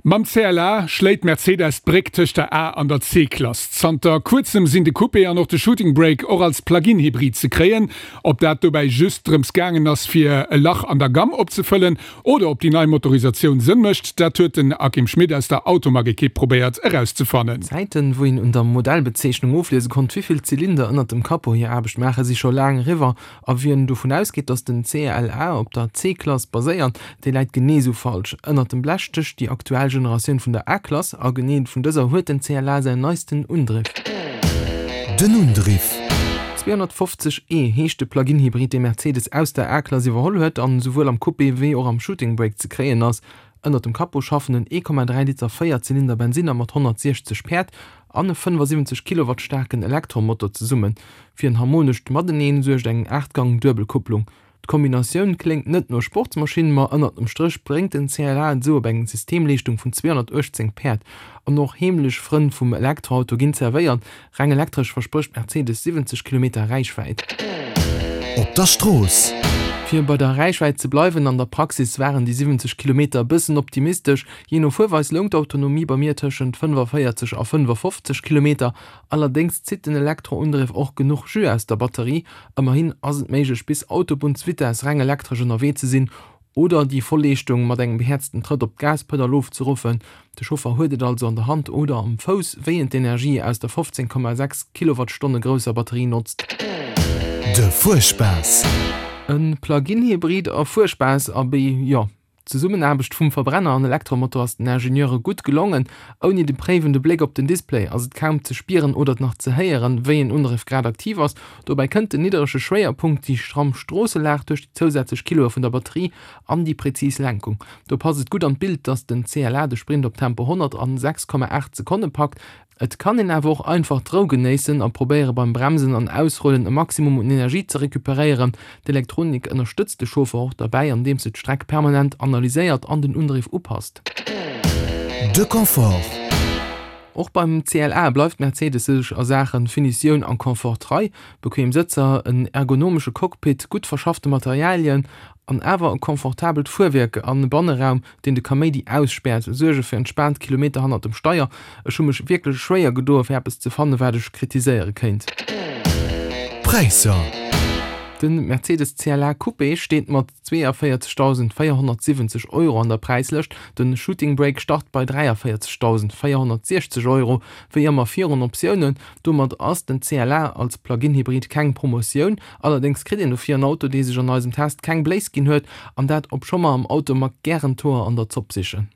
Mam CLA schléit Mercedes d'Bréck tëscht der A an der C-Klass. Zanter kuerzem sinn de Coupé an och de Shooting Brake och als Plug-in-Hybrid ze kréien. Ob dat dobäi just drëms gaangen ass, fir e Lach an der Gamm opzefëllen oder ob déi nei Motorisatioun Sënn mécht, dat huet den Akim Schmit aus der Automag-Ekipp probéiert erauszefannen. D'Zäiten, wou een un der Modellbezeechnung ofliese konnt, wéi vill Zylinder ënnert dem Capot hir Aarbecht maachen, si scho laang eriwwer. A wien dovun ausgeet, datt den CLA op der C-Klass baséiert, dee läit genee sou falsch. Ënnert dem Blech stécht déi aktuell Generatioun vun der A-Klass, a genee vun dëser huet den CLA säin neisten Undriff. Den Undriff. 250 e heescht de Plug-in-Hybrid, dee Mercedes aus der A-Klass iwwerholl huet an esouwuel am Coupé wéi och am Shooting Brake ze kréien ass. Ënnert dem Capot schaffen en 1,3 Liter Véierzylinder Bensinner mat 160 Päerd an e 75 Kilowatt staarken Elektromotor zesummen. Fir en harmonescht Mateneen suergt eng 8 Gang Duebelkupplung. D'Kombinatioun kléngt net no Sportsmaschinn, ma ënnert dem Stréch bréngt den CLA et esou op eng Systemleeschtung vun 218 Päerd. An och heemlech Frënn vum Elektroauto ginn zerwéiert, Reng elektresch versprécht Mercedes 70 Kilometer Räichwäit. Op der Strooss. Fir bei der Räichwäit ze bleiwen, an der Praxis waren déi 70 Kilometer e bëssen optimistesch. Jee no Fuerweis loung d'Autonomie bei mir tëschent 45 a 55 Kilometer. Allerdéngs zitt den Elektroundriff och genuch Jus aus der Batterie. Ëmmerhin ass et méiglech bis Autobunnsvitess reng elektresch ënnerwee ze sinn Oder déi voll Leeschtung mat engem behäerzten Trëtt op d'Gaspedall ofzeruffen. De Chauffer huet et also an der Hand oder am Fouss, wéi en d'Energie aus der 15,6 Kilowattstonne grousser Batterie notzt. De Fuerspaass. E Plug-in-Hybrid a Fuerspaass, abee jo. D'Zesummenaarbecht vum Verbrenner an Elektromotor ass den Ingenieure gutt gelongen. Ouni de préiwende Bléck op den Display ass et kaum ze spieren oder nach ze héieren, wéi en Undriff grad aktiv ass. Dobäi kënnt den nidderege Schwéierpunkt, déi stramm Stroosselag duerch déi zousätzlech Kiloe vun der Batterie an déi präzis Lenkung. Do passt et gutt an d'Bild, dass den CLA de Sprint op Tempo 100 an 6,8 Sekonne packt. Et kann een awer och einfach d'Rou genéissen a probéiere beim Bremsen an Ausrullen e Maximum un Energie ze recuperéieren. D'Elektronik ënnerstëtzt de Chauffer och derbäi, andeems se d'Streck permanent analyséiert an den Undriff upasst. De Confort. Och beim CLA bleift Mercedes sech a Saache Finitioun an Confort trei. Bequem Sëtzer, en ergonomesche Cockpit, gutt verschaffte Materialien an awer e confortabelt Fuerwierk an e Banneraum, deen de Kaméidi ausspäert, suerge fir entspaant Kilometer hannert dem Steier. Ech hu mech wierklech schwéier gedoe fir eppes ze fanne wat ech kritiséiere kéint. Präisser. De Mercedes CLA Coupé steet mat 42.470 Euro an der Präislëscht, de Shooting Brake start bei 43.460 Euro, wéi ëmmer virun Optiounen. Domat ass den CLA als Plug-in-Hybrid keng Promotioun, allerdéngs kritt een dofir en Auto, dee sech an eisem Test keng Bléis ginn huet, an dat obscho mer am Automag gären d'Hoer an der Zopp sichen.